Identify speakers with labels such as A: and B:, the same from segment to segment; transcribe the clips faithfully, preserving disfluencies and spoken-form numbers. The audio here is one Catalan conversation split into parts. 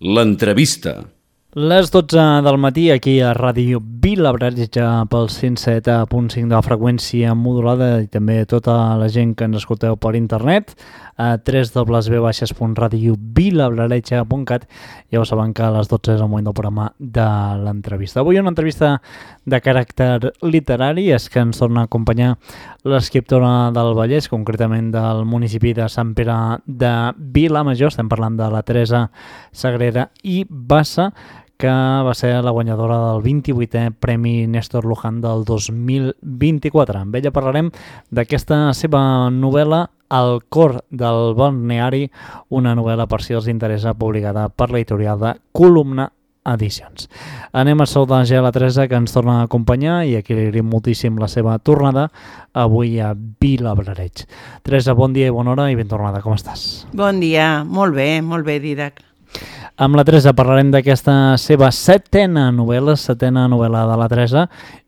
A: L'entrevista.
B: Les dotze del matí aquí a Ràdio Vilabràgia pel cent set punt cinc de la freqüència modulada i també tota la gent que ens escolteu per internet a w w w punt radio vilabràgia punt cat. Ja ho saben que a les dotze és el moment del programa de l'entrevista. Avui una entrevista de caràcter literari, és que ens torna a acompanyar l'escriptora del Vallès, concretament del municipi de Sant Pere de Vilamajor. Estem parlant de la Teresa Sagrera i Bassa, que va ser la guanyadora del vint-i-vuitè Premi Néstor Luján del dos mil vint-i-quatre. Amb ella parlarem d'aquesta seva novel·la El cor del balneari, una novel·la, per si els interessa, publicada per l'editorial de Columna Edicions. Anem a saludar ja la Teresa, que ens torna a acompanyar i a qui li agraïm moltíssim la seva tornada avui a Vilabrareig. Teresa, bon dia i bona hora i ben tornada, com estàs?
C: Bon dia, molt bé, molt bé, Didac.
B: Amb la Teresa parlarem d'aquesta seva setena novel·la, setena novel·la de la Teresa,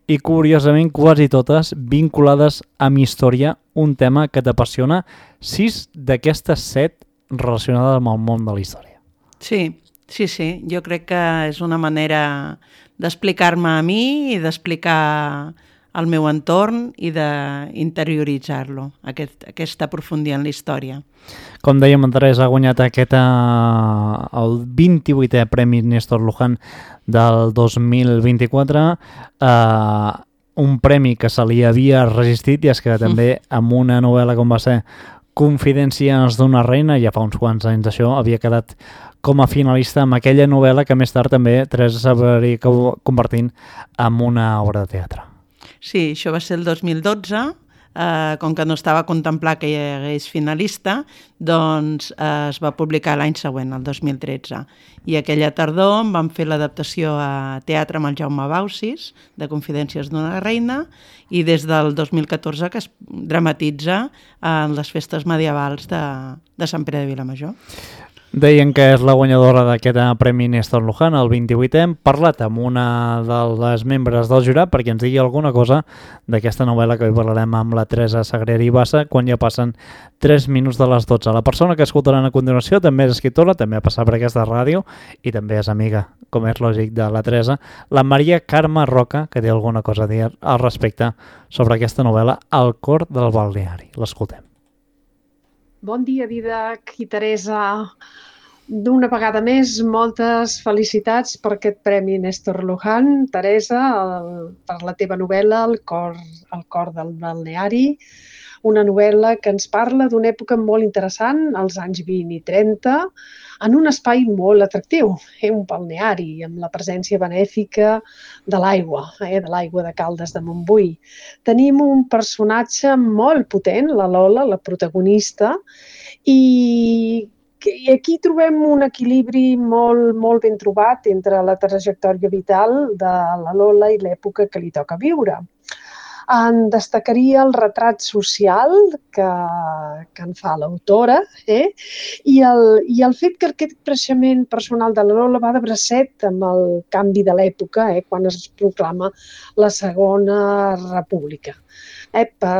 B: i curiosament quasi totes vinculades amb història, un tema que t'apassiona, sis d'aquestes set relacionades amb el món de la història.
C: Sí, sí, sí, jo crec que és una manera d'explicar-me a mi i d'explicar el meu entorn i d'interioritzar-lo, aquest, aquesta profundia en la història.
B: Com dèiem, en Teresa ha guanyat aquest, uh, el vint-i-vuitè Premi Néstor Luján del dos mil vint-i-quatre, uh, un premi que se li havia resistit, i és que també amb una novel·la com va ser Confidències d'una reina, ja fa uns quants anys d'això, havia quedat com a finalista amb aquella novel·la que més tard també Teresa s'hauria convertint en una obra de teatre.
C: Sí, això va ser el dos mil dotze, eh, com que no estava contemplat que hi hagués finalista, doncs eh, es va publicar l'any següent, el dos mil tretze. I aquella tardor vam fer l'adaptació a teatre amb el Jaume Baucis, de Confidències d'una reina, i des del dos mil catorze que es dramatitza en les festes medievals de, de Sant Pere de Vilamajor.
B: Deien que és la guanyadora d'aquest Premi Néstor Luján, el vint-i-vuitè. Hem parlat amb una de les membres del jurat perquè ens digui alguna cosa d'aquesta novel·la, que avui parlarem amb la Teresa Sagrera i Bassa, quan ja passen tres minuts de les dotze. La persona que escoltaran a continuació també és escriptora, també ha passat per aquesta ràdio i també és amiga, com és lògic, de la Teresa, la Maria Carme Roca, que té alguna cosa a dir al respecte sobre aquesta novel·la, El cor del balneari. L'escoltem.
D: Bon dia, Didac i Teresa. D'una vegada més, moltes felicitats per aquest Premi Néstor Luján, Teresa, el, per la teva novel·la El cor, el cor del balneari, una novel·la que ens parla d'una època molt interessant, als anys vint i trenta, en un espai molt atractiu, eh, un balneari, amb la presència benèfica de l'aigua, eh, de l'aigua de Caldes de Montbui. Tenim un personatge molt potent, la Lola, la protagonista, i I aquí trobem un equilibri molt, molt ben trobat entre la trajectòria vital de la Lola i l'època que li toca viure. En destacaria el retrat social que, que en fa l'autora, eh? I, el, i el fet que aquest creixement personal de la Lola va de bracet amb el canvi de l'època, eh? Quan es proclama la Segona República. Eh? Per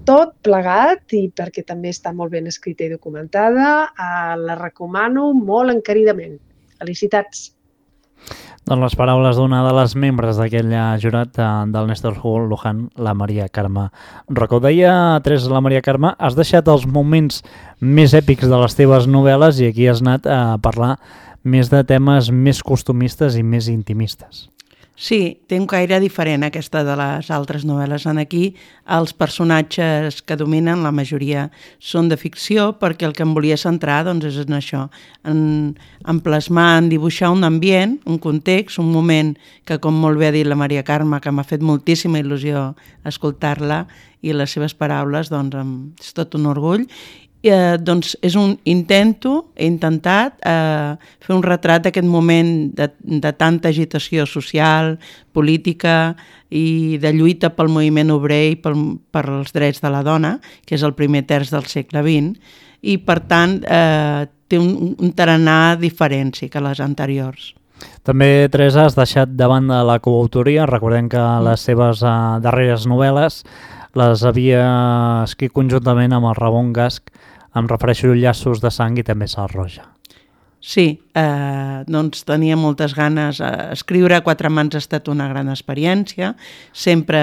D: tot plegat i perquè també està molt ben escrita i documentada, eh, la recomano molt encaridament. Felicitats!
B: Doncs les paraules d'una de les membres d'aquell jurat del Néstor Luján, la Maria Carme Roca. Ho deia, Teresa, la Maria Carme, has deixat els moments més èpics de les teves novel·les i aquí has anat a parlar més de temes més costumistes i més intimistes.
C: Sí, té un caire diferent aquesta de les altres novel·les. En aquí els personatges que dominen, la majoria són de ficció, perquè el que em volia centrar doncs, és en això, en, en plasmar, en dibuixar un ambient, un context, un moment que, com molt bé ha dit la Maria Carme, que m'ha fet moltíssima il·lusió escoltar-la i les seves paraules, doncs és tot un orgull. Eh, doncs és un intento, he intentat eh, fer un retrat d'aquest moment de, de tanta agitació social, política i de lluita pel moviment obrer i pel, per als drets de la dona, que és el primer terç del segle vint, i per tant eh, té un, un tarannà diferent sí, que les anteriors.
B: També, Teresa, has deixat de banda la coautoria. Recordem que les seves eh, darreres novel·les les havia escrit conjuntament amb el Ramon Gasch. Em refereixo a Llaços de sang i també Sal Roja.
C: Sí, eh, doncs tenia moltes ganes. Escriure a quatre mans ha estat una gran experiència. Sempre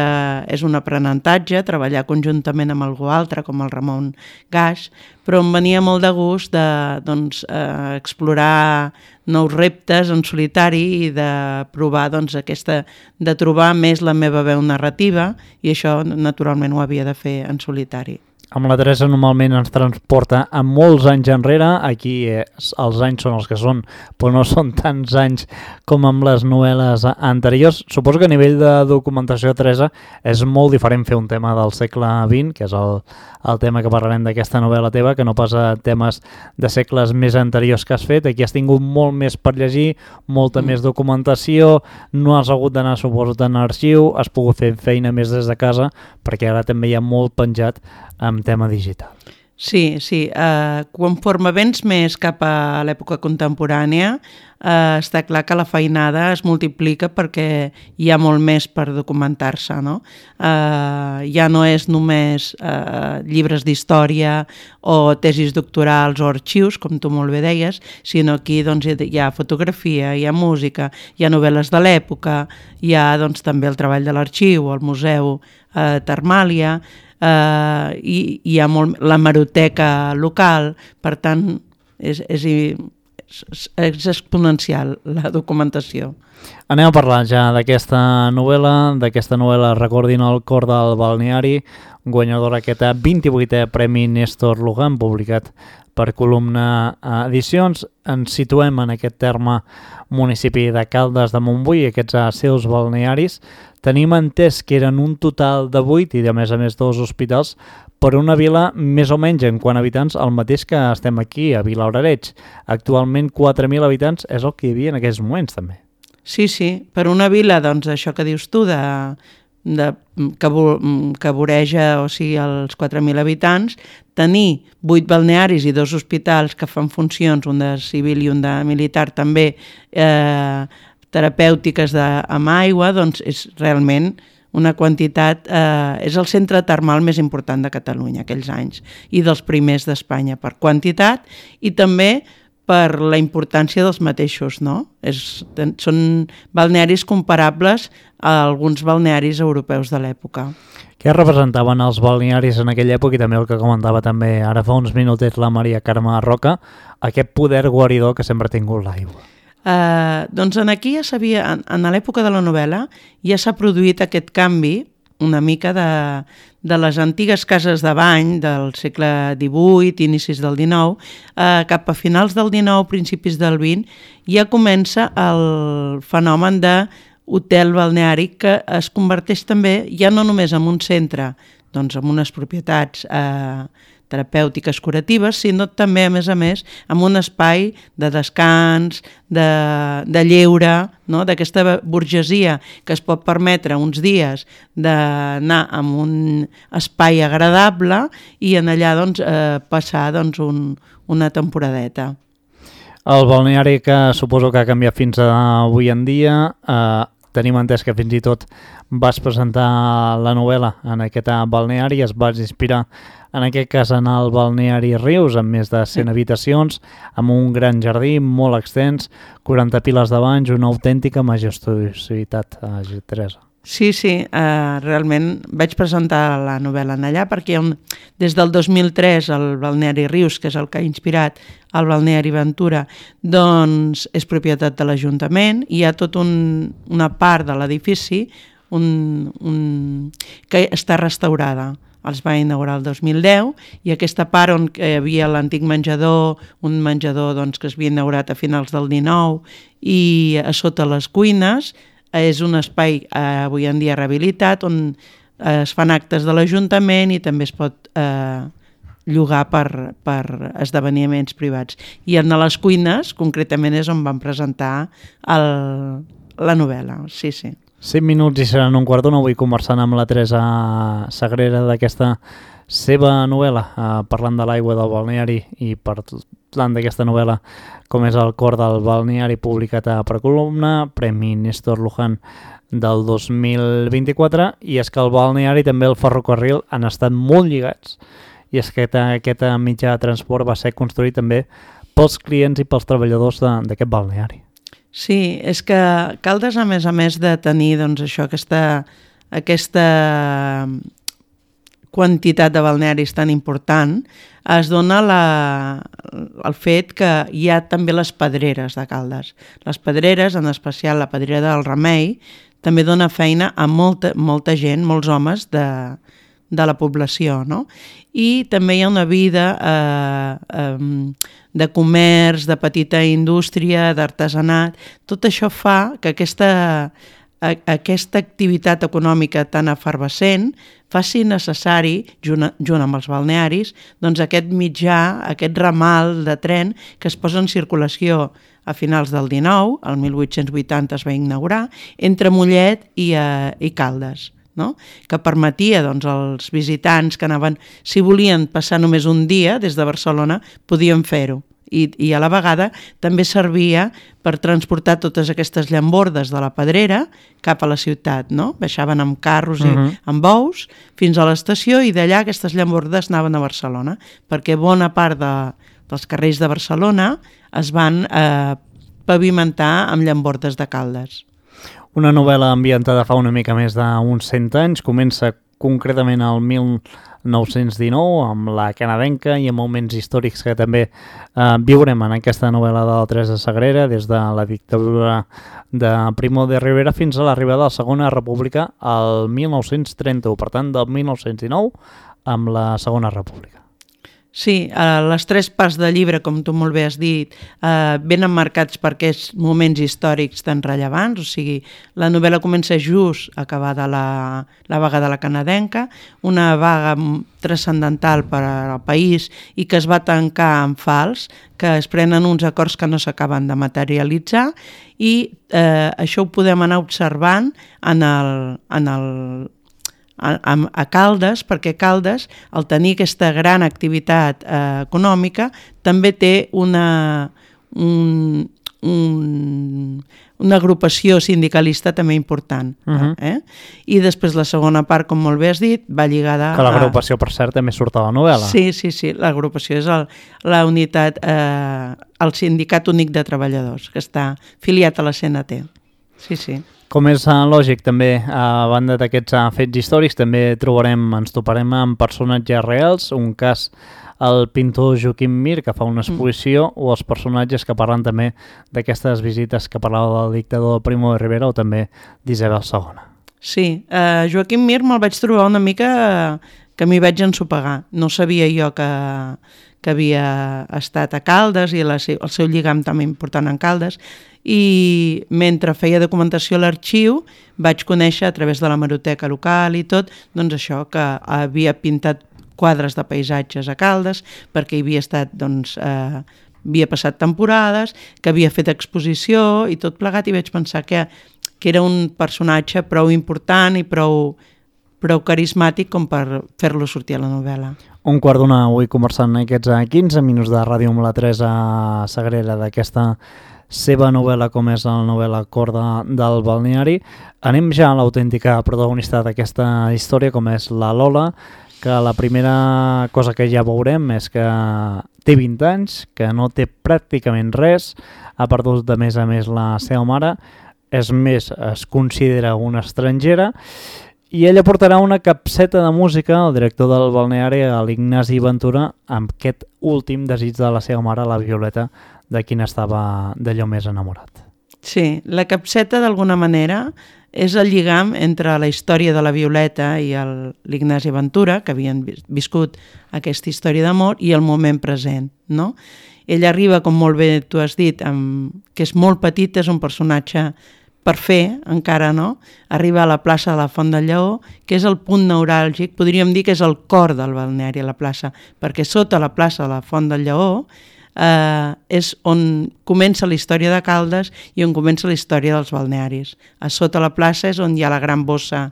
C: és un aprenentatge, treballar conjuntament amb algú altre, com el Ramon Gaix, però em venia molt de gust de doncs, eh, explorar nous reptes en solitari i de provar doncs, aquesta, de trobar més la meva veu narrativa, i això naturalment ho havia de fer en solitari.
B: Amb la Teresa normalment ens transporta a molts anys enrere, aquí eh, els anys són els que són, però no són tants anys com amb les novel·les anteriors. Suposo que a nivell de documentació, Teresa, és molt diferent fer un tema del segle vint, que és el, el tema que parlarem d'aquesta novel·la teva, que no pas a temes de segles més anteriors que has fet. Aquí has tingut molt més per llegir, molta mm. més documentació, no has hagut d'anar, suposo, en arxiu, has pogut fer feina més des de casa, perquè ara també hi ha molt penjat amb tema digital.
C: Sí, sí. Uh, conforme vens més cap a l'època contemporània, uh, està clar que la feinada es multiplica perquè hi ha molt més per documentar-se, no? Uh, ja no és només uh, llibres d'història o tesis doctorals o arxius, com tu molt bé deies, sinó aquí doncs, hi ha fotografia, hi ha música, hi ha novel·les de l'època, hi ha doncs, també el treball de l'arxiu, el museu uh, Termàlia, Uh, i hi ha molt, la hemeroteca local, per tant és, és, és exponencial la documentació.
B: Anem a parlar ja d'aquesta novel·la, d'aquesta novel·la Recordin el cor del balneari, guanyadora aquest vint-i-vuitè Premi Néstor Lugan, publicat per Columna Edicions. Ens situem en aquest terme municipi de Caldes de Montbui, aquests seus balnearis. Tenim entès que eren un total de vuit i, a més a més, dos hospitals, per una vila més o menys en quant a habitants el mateix que estem aquí, a Vilabrareig. Actualment quatre mil habitants és el que hi havia en aquests moments, també.
C: Sí, sí, per una vila, doncs, això que dius tu, de, de, que, que voreja, o sigui, els quatre mil habitants, tenir vuit balnearis i dos hospitals que fan funcions, un de civil i un de militar també, eh, terapèutiques de, amb aigua, doncs és realment una quantitat, eh, és el centre termal més important de Catalunya aquells anys i dels primers d'Espanya per quantitat i també per la importància dels mateixos, no? És, són balnearis comparables a alguns balnearis europeus de l'època.
B: Què representaven els balnearis en aquella època i també el que comentava també ara fa uns minutets la Maria Carme Roca, aquest poder guaridor que sempre ha tingut l'aigua?
C: Uh, doncs en aquí ja s'havia, en, en l'època de la novel·la ja s'ha produït aquest canvi una mica de, de les antigues cases de bany del segle divuit, inicis del dinou, uh, cap a finals del dinou, principis del vint, ja comença el fenomen de hotel balneari que es converteix també ja no només en un centre, doncs en unes propietats eh, terapèutiques curatives, sinó també, a més a més, en un espai de descans, de, de lleure, no? D'aquesta burgesia que es pot permetre uns dies d'anar a un espai agradable i en allà doncs, eh, passar doncs, un, una temporadeta.
B: El balneari que suposo que ha canviat fins avui en dia, eh, tenim entès que fins i tot vas presentar la novel·la en aquest balneari, es vas inspirar en aquest cas en el balneari Rius, amb més de cent habitacions, amb un gran jardí molt extens, quaranta piles de banys, una autèntica majestuositat, eh, Teresa.
C: Sí, sí, eh, realment vaig presentar la novel·la en allà perquè un, des del dos mil tres el balneari Rius, que és el que ha inspirat el balneari Ventura, doncs és propietat de l'Ajuntament i hi ha tota un, una part de l'edifici un, un, que està restaurada. Els va inaugurar el dos mil deu i aquesta part on hi havia l'antic menjador, un menjador doncs, que es havia inaugurat a finals del dinou i a sota les cuines, és un espai eh, avui en dia rehabilitat on eh, es fan actes de l'Ajuntament i també es pot eh, llogar per, per esdeveniments privats. I en les cuines, concretament, és on vam presentar el, la novel·la, sí, sí.
B: cinc minuts i seran un quart d'una. Avui conversant amb la Teresa Sagrera d'aquesta seva novel·la, eh, parlant de l'aigua del balneari i parlant d'aquesta novel·la com és El cor del balneari, publicat per Columna, Premi Néstor Lugan del dos mil vint-i-quatre, i és que el balneari i també el ferrocarril han estat molt lligats, i és que aquest mitjà de transport va ser construït també pels clients i pels treballadors d'aquest balneari.
C: Sí, és que Caldes, a més a més de tenir doncs, això, aquesta, aquesta quantitat de balnearis tan important, es dona la, el fet que hi ha també les pedreres de Caldes. Les pedreres, en especial la pedrera del Remei, també dona feina a molta, molta gent, molts homes de, de la població, no? I també hi ha una vida eh, eh, de comerç, de petita indústria, d'artesanat. Tot això fa que aquesta, a, aquesta activitat econòmica tan efervescent faci necessari, junt, junt amb els balnearis, doncs aquest mitjà, aquest ramal de tren que es posa en circulació a finals del dinou, el mil vuit-cents vuitanta es va inaugurar, entre Mollet i, eh, i Caldes, no? Que permetia doncs, als visitants que anaven, si volien passar només un dia des de Barcelona, podien fer-ho. I, i a la vegada també servia per transportar totes aquestes llambordes de la Pedrera cap a la ciutat, no? Baixaven amb carros i uh-huh. amb bous fins a l'estació i d'allà aquestes llambordes anaven a Barcelona, perquè bona part de, dels carrers de Barcelona es van eh, pavimentar amb llambordes de Caldes.
B: Una novel·la ambientada fa una mica més d'uns cent anys, comença concretament al mil nou-cents dinou amb la canadenca i amb moments històrics que també eh, viurem en aquesta novel·la de la Teresa Sagrera, des de la dictadura de Primo de Rivera fins a l'arribada de la Segona República al mil nou-cents trenta-u, per tant del mil nou-cents dinou amb la Segona República.
C: Sí, eh, les tres parts del llibre, com tu molt bé has dit, eh, venen marcats per aquests moments històrics tan rellevants, o sigui, la novel·la comença just acabada la, la vaga de la canadenca, una vaga transcendental per al país i que es va tancar en fals, que es prenen uns acords que no s'acaben de materialitzar i eh, això ho podem anar observant en el... En el A, a Caldes, perquè Caldes, al tenir aquesta gran activitat eh, econòmica, també té una, un, un, una agrupació sindicalista també important. Uh-huh. eh? I després la segona part, com molt bé has dit, va lligada...
B: Que l'agrupació, a... per cert, també surt a la novel·la.
C: Sí, sí, sí, l'agrupació és el, la unitat, eh, el Sindicat Únic de Treballadors, que està afiliat a la C N T. Sí, sí.
B: Com és uh, lògic, també, a banda d'aquests uh, fets històrics, també trobarem, ens toparem amb personatges reals, un cas, el pintor Joaquim Mir, que fa una exposició, mm. o els personatges que parlen també d'aquestes visites que parlava del dictador Primo de Rivera o també d'Isabel segona.
C: Sí, uh, Joaquim Mir me'l vaig trobar una mica uh, que m'hi vaig ensopegar. No sabia jo que, que havia estat a Caldes i la, el seu lligam també important en Caldes, i mentre feia documentació a l'arxiu vaig conèixer a través de la hemeroteca local i tot, doncs això, que havia pintat quadres de paisatges a Caldes perquè hi havia estat, doncs, eh, havia passat temporades, que havia fet exposició i tot plegat, i vaig pensar que, que era un personatge prou important i prou, prou carismàtic com per fer-lo sortir a la novel·la.
B: Un quart d'una avui conversant aquests quinze minuts de ràdio amb la Teresa Sagrera d'aquesta seva novel·la, com és la novel·la Corda del Balneari. Anem ja a l'autèntica protagonista d'aquesta història, com és la Lola, que la primera cosa que ja veurem és que té vint anys, que no té pràcticament res, ha perdut de més a més la seva mare, és més, es considera una estrangera, i ella portarà una capseta de música al director del balneari, a l'Ignasi Ventura, amb aquest últim desig de la seva mare, la Violeta, de qui n'estava d'allò més enamorat.
C: Sí, la capseta d'alguna manera és el lligam entre la història de la Violeta i l'Ignasi Ventura, que havien viscut aquesta història d'amor, i el moment present, no? Ell arriba, com molt bé tu has dit, amb, que és molt petit, és un personatge per fer, encara no, arriba a la plaça de la Font del Lleó, que és el punt neuràlgic, podríem dir que és el cor del balneari a la plaça, perquè sota la plaça de la Font del Lleó eh, és on comença la història de Caldes i on comença la història dels balnearis. A sota la plaça és on hi ha la gran bossa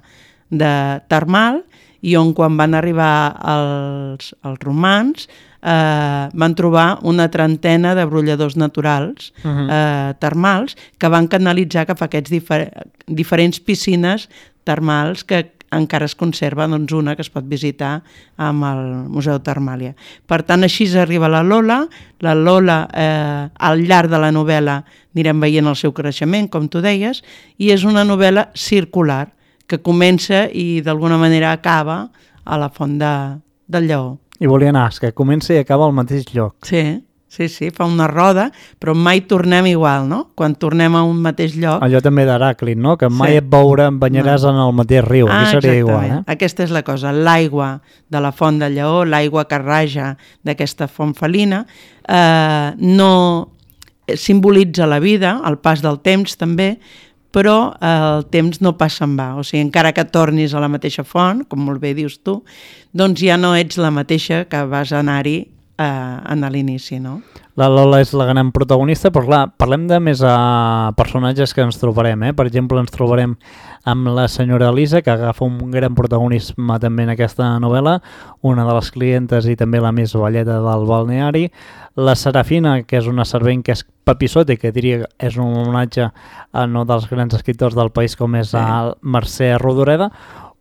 C: de termal i on quan van arribar els, els romans eh, van trobar una trentena de brolladors naturals uh-huh. eh, termals que van canalitzar cap a aquests difer- diferents piscines termals que encara es conserva doncs, una que es pot visitar amb el Museu Termàlia. Per tant, així arriba la Lola. La Lola, eh, al llarg de la novel·la, anirem veient el seu creixement, com tu deies, i és una novel·la circular, que comença i d'alguna manera acaba a la Font de, del Lleó.
B: I volia anar, que comença i acaba al mateix lloc.
C: Sí, sí, sí, fa una roda, però mai tornem igual, no? Quan tornem a un mateix lloc...
B: Allò també d'Heràclit, no? Que mai
C: sí.
B: et veurà, banyaràs no. en el mateix riu.
C: Ah,
B: aquí seria
C: exactament.
B: igual, eh?
C: Aquesta és la cosa. L'aigua de la Font del Lleó, l'aigua que raja d'aquesta font felina, eh, no simbolitza la vida, el pas del temps també, però el temps no passa en va. O sigui, encara que tornis a la mateixa font, com molt bé dius tu, doncs ja no ets la mateixa que vas anar-hi eh, a l'inici, no?
B: La Lola és la gran protagonista, però clar, parlem de més a personatges que ens trobarem, eh? Per exemple, ens trobarem amb la senyora Elisa, que agafa un gran protagonisme també en aquesta novel·la, una de les clientes i també la més velleta del balneari, la Serafina, que és una servent que és papissote, que diria que és un homenatge a un dels grans escriptors del país com és sí. el Mercè Rodoreda,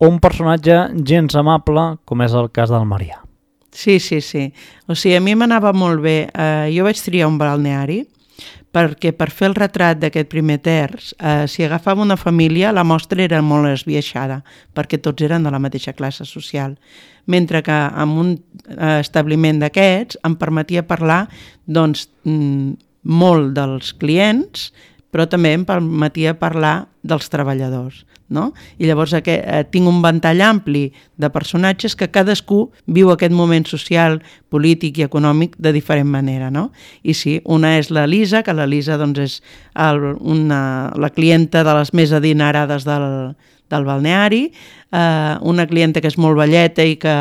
B: o un personatge gens amable com és el cas del Marià.
C: Sí, sí, sí. O sigui, a mi m'anava molt bé. Eh, jo vaig triar un balneari perquè per fer el retrat d'aquest primer terç, eh, si agafava una família, la mostra era molt esbiaixada, perquè tots eren de la mateixa classe social. Mentre que en un eh, establiment d'aquests em permetia parlar doncs, mm, molt dels clients, però també em permetia parlar dels treballadors, no? I llavors aquest, eh, tinc un ventall ampli de personatges que cadascú viu aquest moment social, polític i econòmic de diferent manera, no? I sí, una és la Lisa, que la Lisa doncs, és el, una, la clienta de les més adinerades del, del balneari, eh, una clienta que és molt velleta i que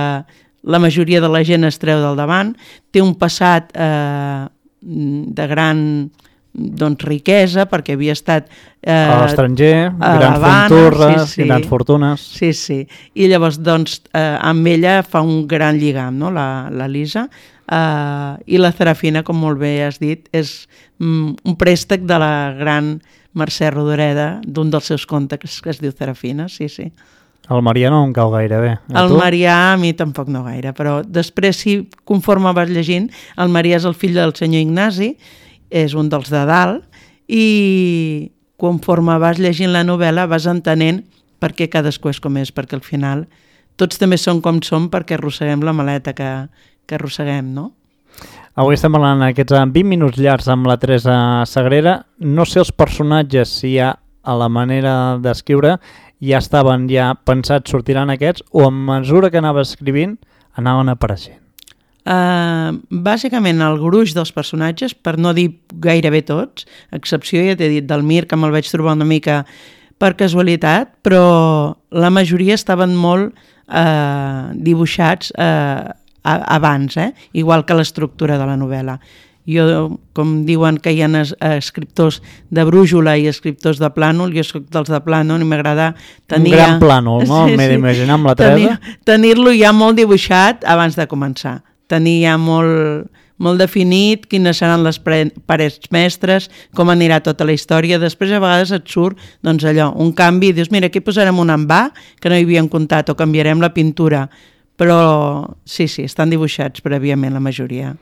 C: la majoria de la gent es treu del davant, té un passat eh, de gran doncs, riquesa, perquè havia estat eh,
B: a l'estranger, grans
C: Havana,
B: fortunes,
C: sí, sí.
B: grans fortunes.
C: Sí, sí. I llavors, doncs, eh, amb ella fa un gran lligam, no?, la, la Lisa. Eh, I la Serafina, com molt bé has dit, és mm, un préstec de la gran Mercè Rodoreda, d'un dels seus contes que es diu Serafina, sí, sí.
B: El Marià no em cau gaire bé.
C: El Marià a mi tampoc no gaire, però després, si conforme vas llegint, el Marià és el fill del senyor Ignasi, és un dels de dalt, i conforme vas llegint la novel·la vas entenent per què cadascú és com és, perquè al final tots també som com som perquè arrosseguem la maleta que, que arrosseguem, no?
B: Avui estem parlant aquests vint minuts llargs amb la Teresa Sagrera. No sé els personatges si hi ha a la manera d'escriure ja estaven ja pensats, sortiran aquests, o a mesura que anava escrivint anaven apareixent.
C: Uh, bàsicament el gruix dels personatges, per no dir gairebé tots, a excepció, ja t'he dit, del Mir, que me'l vaig trobar una mica per casualitat, però la majoria estaven molt uh, dibuixats uh, abans, eh? Igual que l'estructura de la novel·la. Jo, com diuen que hi ha es, escriptors de brújula i escriptors de plànol, jo soc dels de plànol i m'agrada tenir...
B: Un gran plànol, no?
C: Sí,
B: M'he
C: sí.
B: d'imaginar amb la Teresa.
C: Tenir, tenir-lo ja molt dibuixat abans de començar. Tenir ja molt, molt definit quines seran les parets mestres, com anirà tota la història. Després a vegades et surt doncs, allò, un canvi, dius, mira, aquí posarem un envà que no hi havíem comptat, o canviarem la pintura. Però sí, sí, estan dibuixats prèviament la majoria.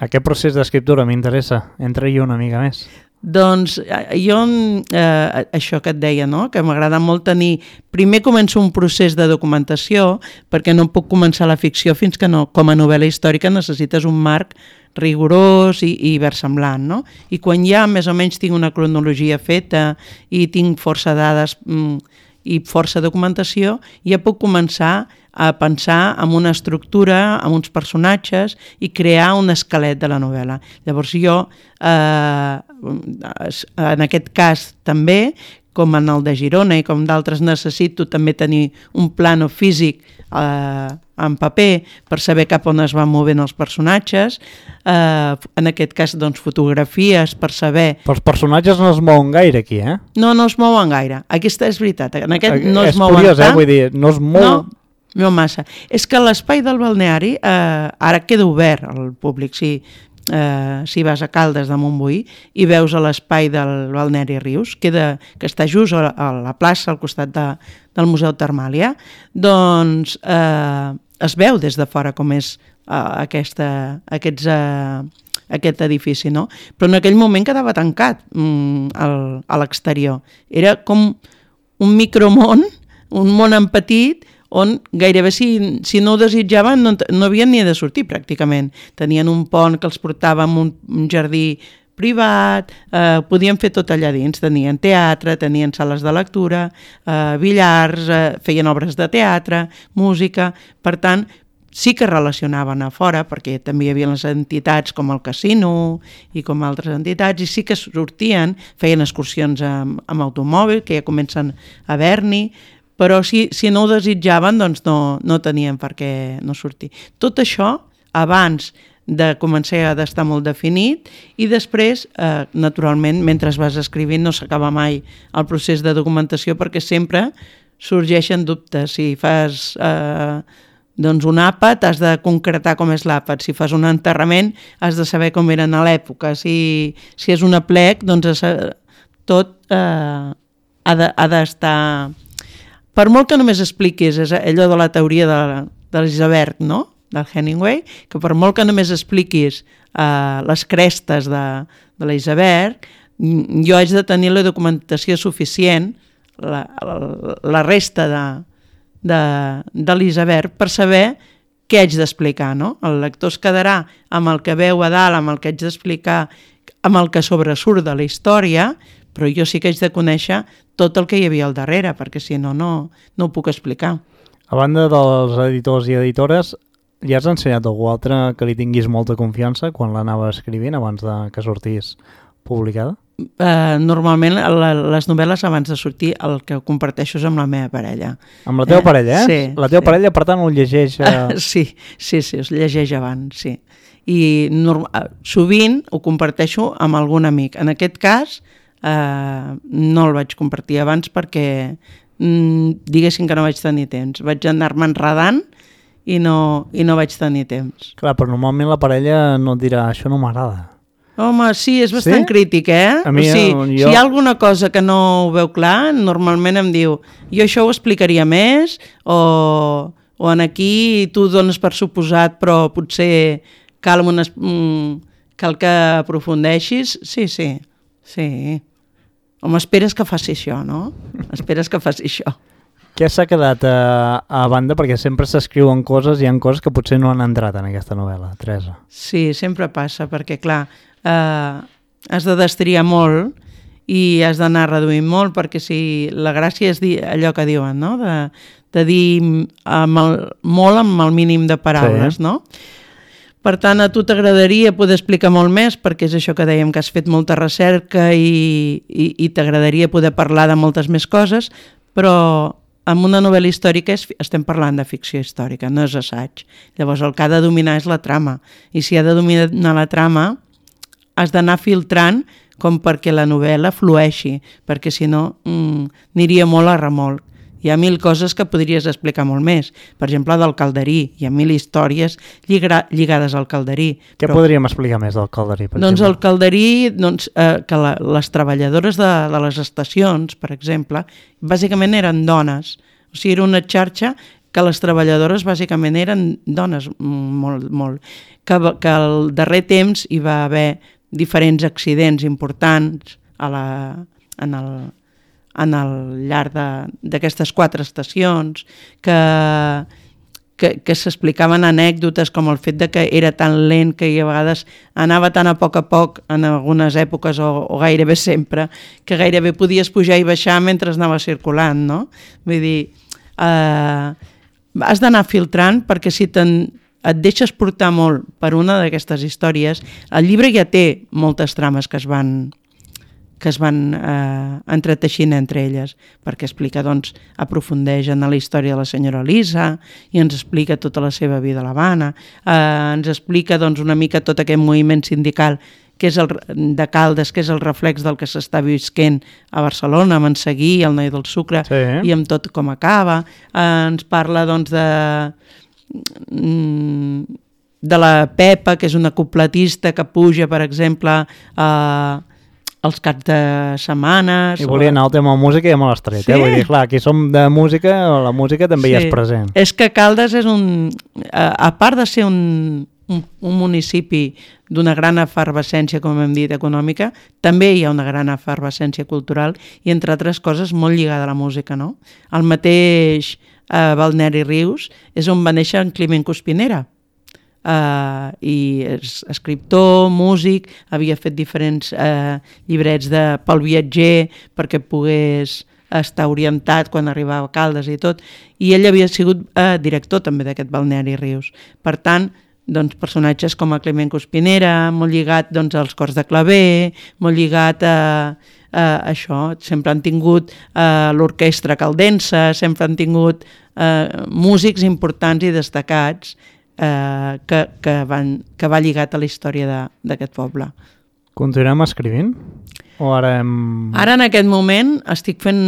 B: Aquest procés d'escriptura m'interessa. Entra-hi una mica més.
C: Doncs jo, eh, això que et deia, no? Que m'agrada molt tenir... Primer començo un procés de documentació, perquè no puc començar la ficció fins que no, com a novel·la històrica necessites un marc rigorós i, i versemblant, no? I quan ja més o menys tinc una cronologia feta i tinc força dades mm, i força documentació, ja puc començar a pensar en una estructura, en uns personatges i crear un esquelet de la novel·la. Llavors jo, eh, en aquest cas també, com en el de Girona i com d'altres, necessito també tenir un plano físic eh, en paper per saber cap on es van movent els personatges, eh, en aquest cas doncs, fotografies per saber...
B: Però els personatges no es mouen gaire aquí, eh?
C: No, no es mouen gaire. Aquesta és veritat. En aquest no
B: és
C: es mouen
B: curiós,
C: tant.
B: Eh? Vull dir, no es mou...
C: No, no massa. És que l'espai del balneari eh, ara queda obert al públic, sí. eh, si vas a Caldes de Montbui i veus a l'espai del Balneari Rius, queda, que està just a, a la plaça al costat de, del Museu Termal, ja? Doncs eh, es veu des de fora com és eh, aquesta, aquests, eh, aquest edifici, no? Però en aquell moment quedava tancat mm, al, a l'exterior. Era com un micromón, un món en petit, on gairebé si, si no ho desitjaven no, no havien ni de sortir pràcticament. Tenien un pont que els portava a un, un jardí privat, eh, podien fer tot allà dins, tenien teatre, tenien sales de lectura, eh, billars, eh, feien obres de teatre, música, per tant, sí que relacionaven a fora, perquè també hi havia les entitats com el casino i com altres entitats, i sí que sortien, feien excursions amb, amb automòbil, que ja comencen a haver-n'hi, però si, si no ho desitjaven, doncs no, no tenien per què no sortir. Tot això, abans de començar a d'estar molt definit, i després, eh, naturalment, mentre vas escrivint no s'acaba mai el procés de documentació, perquè sempre sorgeixen dubtes. Si fas eh, doncs un àpat, has de concretar com és l'àpat. Si fas un enterrament, has de saber com eren a l'època. Si, si és un aplec, doncs tot eh, ha de, ha d'estar... Per molt que només expliquis, és allò de la teoria de, de l'iceberg, no?, del Hemingway, que per molt que només expliquis uh, les crestes de, de l'iceberg, jo haig de tenir la documentació suficient, la, la, la resta de, de, de l'iceberg, per saber què haig d'explicar, no? El lector es quedarà amb el que veu a dalt, amb el que haig d'explicar, amb el que sobresurt de la història, però jo sí que haig de conèixer tot el que hi havia al darrere, perquè si no, no, no ho puc explicar.
B: A banda dels editors i editores, ja has ensenyat algú altre que li tinguis molta confiança quan l'anava escrivint abans de que sortís publicada?
C: Uh, normalment la, les novel·les abans de sortir el que comparteixo és amb la meva parella.
B: Amb la teva eh? parella, eh?
C: Sí.
B: La teva
C: sí.
B: parella, per tant, ho llegeix... Uh...
C: sí, sí, sí, es llegeix abans, sí. I norm... sovint ho comparteixo amb algun amic. En aquest cas, uh, no el vaig compartir abans perquè mm, diguéssim que no vaig tenir temps. Vaig anar-me enredant i no, i no vaig tenir temps.
B: Clar, però normalment la parella no et dirà això no m'agrada.
C: Home, sí, és bastant
B: sí?
C: crític, eh?
B: A mi,
C: o sigui,
B: jo...
C: si hi ha alguna cosa que no ho veu clar, normalment em diu jo això ho explicaria més, o, o en aquí tu dones per suposat, però potser cal, unes, mm, cal que aprofundeixis. Sí, sí, sí. Home, esperes que faci això, no? Esperes que faci això.
B: Què s'ha quedat a, a banda? Perquè sempre s'escriuen coses i hi ha coses que potser no han entrat en aquesta novel·la, Teresa.
C: Sí, sempre passa, perquè clar, eh, has de destriar molt i has d'anar reduint molt, perquè si la gràcia és dir allò que diuen, no? De, de dir amb el, molt amb el mínim de paraules, sí. No? Per tant, a tu t'agradaria poder explicar molt més, perquè és això que dèiem, que has fet molta recerca i, i, i t'agradaria poder parlar de moltes més coses, però amb una novel·la històrica és, estem parlant de ficció històrica, no és assaig. Llavors el que ha de dominar és la trama. I si ha de dominar la trama, has d'anar filtrant com perquè la novel·la flueixi, perquè si no mmm, aniria molt a remolc. Hi ha mil coses que podries explicar molt més. Per exemple, del Calderí. Hi ha mil històries lligra, lligades al Calderí.
B: Què però, podríem explicar més del Calderí? Per
C: doncs
B: exemple?
C: el Calderí, doncs, eh, que la, les treballadores de, de les estacions, per exemple, bàsicament eren dones. O sigui, era una xarxa que les treballadores bàsicament eren dones, molt, molt. Que, que al darrer temps hi va haver diferents accidents importants a la, en el... en el llarg d'aquestes quatre estacions, que, que, que s'explicaven anècdotes com el fet de que era tan lent que a vegades anava tan a poc a poc en algunes èpoques o, o gairebé sempre, que gairebé podies pujar i baixar mentre anava circulant, no? Vull dir, eh, has d'anar filtrant perquè si te'n et deixes portar molt per una d'aquestes històries, el llibre ja té moltes trames que es van que es van eh, entreteixint entre elles, perquè explica, doncs, aprofundeix en la història de la senyora Elisa i ens explica tota la seva vida a l'Havana, eh, ens explica, doncs, una mica tot aquest moviment sindical que és el, de Caldes, que és el reflex del que s'està visquent a Barcelona, amb en Seguí, el noi del sucre, sí. I amb tot com acaba. Eh, ens parla, doncs, de... Mm, de la Pepa, que és una copletista que puja, per exemple, a... els caps de setmanes...
B: I volia anar al tema de música i ja me l'has tret, sí. eh? Vull dir, clar, aquí som de música, la música també sí. hi és present.
C: És que Caldes és un... A part de ser un, un, un municipi d'una gran efervescència, com hem dit, econòmica, també hi ha una gran efervescència cultural i, entre altres coses, molt lligada a la música, no? El mateix eh, Balneari Rius és on va néixer en Climent Cuspinera. Uh, i és escriptor, músic, havia fet diferents uh, llibrets de, pel viatger perquè pogués estar orientat quan arribava a Caldes i tot, i ell havia sigut uh, director també d'aquest Balneari Rius. Per tant, doncs, personatges com a Climent Cuspinera, molt lligat doncs, als cors de claver, molt lligat a, a això, sempre han tingut uh, l'orquestra caldensa, sempre han tingut uh, músics importants i destacats Eh, que, que, van, que va lligat a la història d'aquest poble.
B: Continuem escrivint? O ara hem...
C: Ara en aquest moment estic fent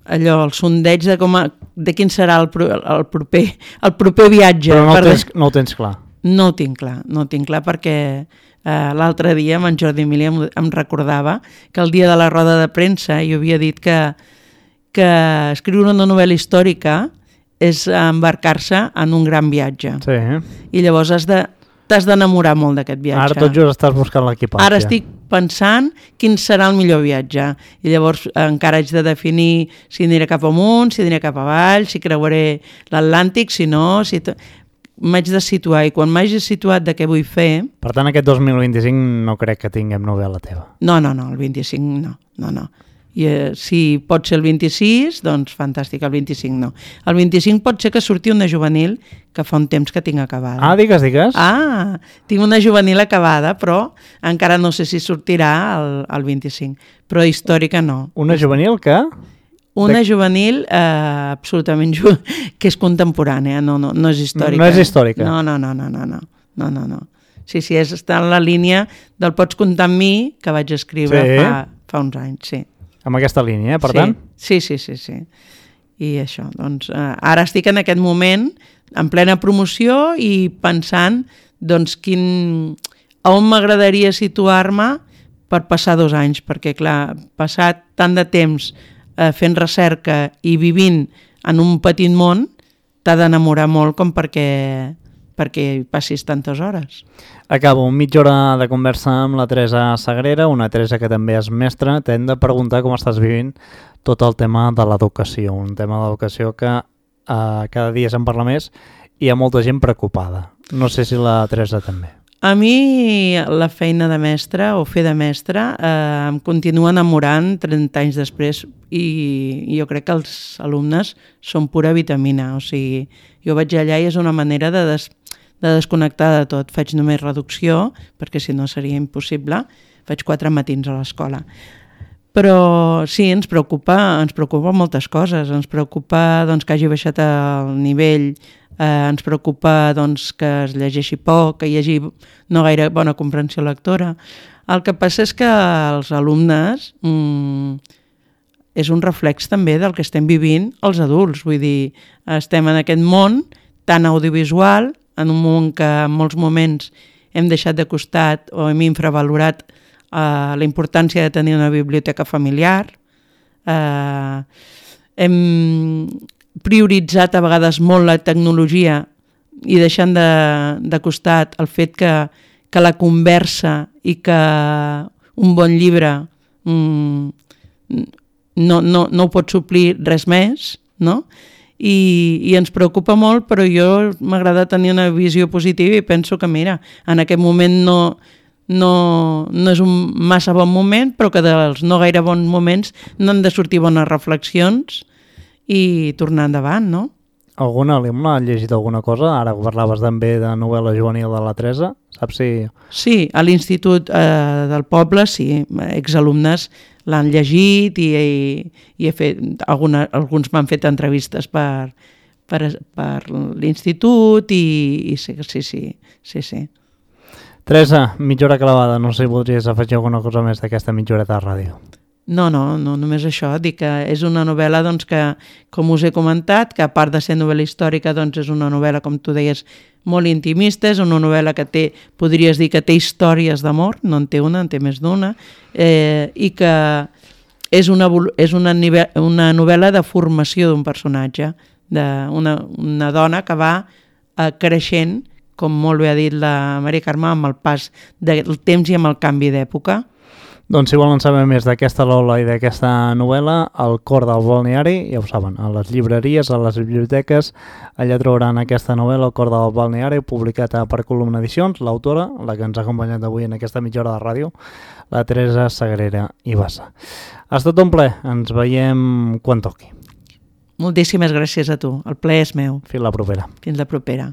C: allò, el sondeig de, com a, de quin serà el, pro, el, proper, el proper viatge.
B: Però no,
C: per...
B: tens, no ho tens clar?
C: No ho tinc clar, no ho tinc clar perquè eh, l'altre dia amb en Jordi Emili em, em recordava que el dia de la roda de premsa jo havia dit que, que escriure una novel·la històrica és embarcar-se en un gran viatge.
B: Sí.
C: I llavors has de, t'has d'enamorar molt d'aquest viatge.
B: Ara tot just estàs buscant l'equipatge.
C: Ara estic pensant quin serà el millor viatge. I llavors encara haig de definir si aniré cap amunt, si aniré cap avall, si creuaré l'Atlàntic, si no... Si t... m'haig de situar, i quan m'hagi situat de què vull fer...
B: Per tant, aquest dos mil vint-i-cinc no crec que tinguem novel·la teva.
C: No, no, no, el vint-i-cinc no, no, no. I eh, si pot ser el vint-i-sis, doncs fantàstic, el vint-i-cinc no. El vint-i-cinc pot ser que surti una juvenil que fa un temps que tinc acabada.
B: Ah, digues, digues.
C: Ah, tinc una juvenil acabada, però encara no sé si sortirà el, el vint-i-cinc, però històrica no.
B: Una juvenil que...
C: Una de... juvenil eh, absolutament ju... que és contemporània, no, no, no és històrica.
B: No és històrica.
C: No, no, no, no, no, no, no, no, no. Sí, sí, és, està en la línia del Pots comptar amb mi, que vaig escriure sí. fa, fa uns anys, sí.
B: Amb aquesta línia, eh, per
C: sí.
B: tant?
C: Sí, sí, sí, sí. I això, doncs, eh, ara estic en aquest moment en plena promoció i pensant, doncs, quin... a on m'agradaria situar-me per passar dos anys, perquè, clar, passat tant de temps eh, fent recerca i vivint en un petit món, t'ha d'enamorar molt com perquè, perquè hi passis tantes hores.
B: Acabo, mitja hora de conversa amb la Teresa Sagrera, una Teresa que també és mestra. T'hem de preguntar com estàs vivint tot el tema de l'educació, un tema d'educació que eh, cada dia se'n parla més i hi ha molta gent preocupada. No sé si la Teresa també.
C: A mi la feina de mestra o fer de mestra eh, em continua enamorant trenta anys després i jo crec que els alumnes són pura vitamina. O sigui, jo vaig allà i és una manera de, des, de desconnectar de tot. Faig només reducció, perquè si no seria impossible. Faig quatre matins a l'escola. Però sí, ens preocupa, ens preocupa moltes coses. Ens preocupa doncs, que hagi baixat el nivell, eh, ens preocupa doncs, que es llegeixi poc, que hi hagi no gaire bona comprensió lectora. El que passa és que els alumnes mmm, és un reflex també del que estem vivint els adults. Vull dir, estem en aquest món tan audiovisual, en un món que en molts moments hem deixat de costat o hem infravalorat Uh, la importància de tenir una biblioteca familiar. Uh, hem prioritzat a vegades molt la tecnologia i deixant de, de costat el fet que, que la conversa i que un bon llibre um, no, no, no ho pot suplir res més, no? I, i ens preocupa molt, però jo m'agrada tenir una visió positiva i penso que, mira, en aquest moment no... No, no és un massa bon moment, però que dels no gaire bons moments no han de sortir bones reflexions i tornar endavant, no?
B: Algun alumne ha llegit alguna cosa? Ara parlaves també de novel·la juvenil de la Teresa, saps si...
C: Sí, a l'Institut eh, del Poble, sí, exalumnes l'han llegit i, i, i he fet, alguna, alguns m'han fet entrevistes per, per, per l'Institut i, i sí, sí, sí, sí, sí.
B: Teresa, mitja hora clavada, no sé si voldries afegir alguna cosa més d'aquesta mitja hora de ràdio.
C: No, no, no només això, dic que és una novel·la doncs, que, com us he comentat, que a part de ser novel·la històrica, doncs és una novel·la, com tu deies, molt intimista, és una novel·la que té, podries dir que té històries d'amor, no en té una, en té més d'una, eh, i que és una, és una, una novel·la de formació d'un personatge, d'una una dona que va eh, creixent, com molt bé ha dit la Maria Carme, amb el pas del temps i amb el canvi d'època.
B: Doncs si volen saber més d'aquesta Lola i d'aquesta novel·la, El cor del balneari, ja ho saben, a les llibreries, a les biblioteques, allà trobaran aquesta novel·la, El cor del balneari, publicada per Columna Edicions, l'autora, la que ens ha acompanyat avui en aquesta mitja hora de ràdio, la Teresa Sagrera i Bassa. Ha estat un plaer, ens veiem quan toqui.
C: Moltíssimes gràcies a tu, el plaer és meu.
B: Fins la propera.
C: Fins la propera.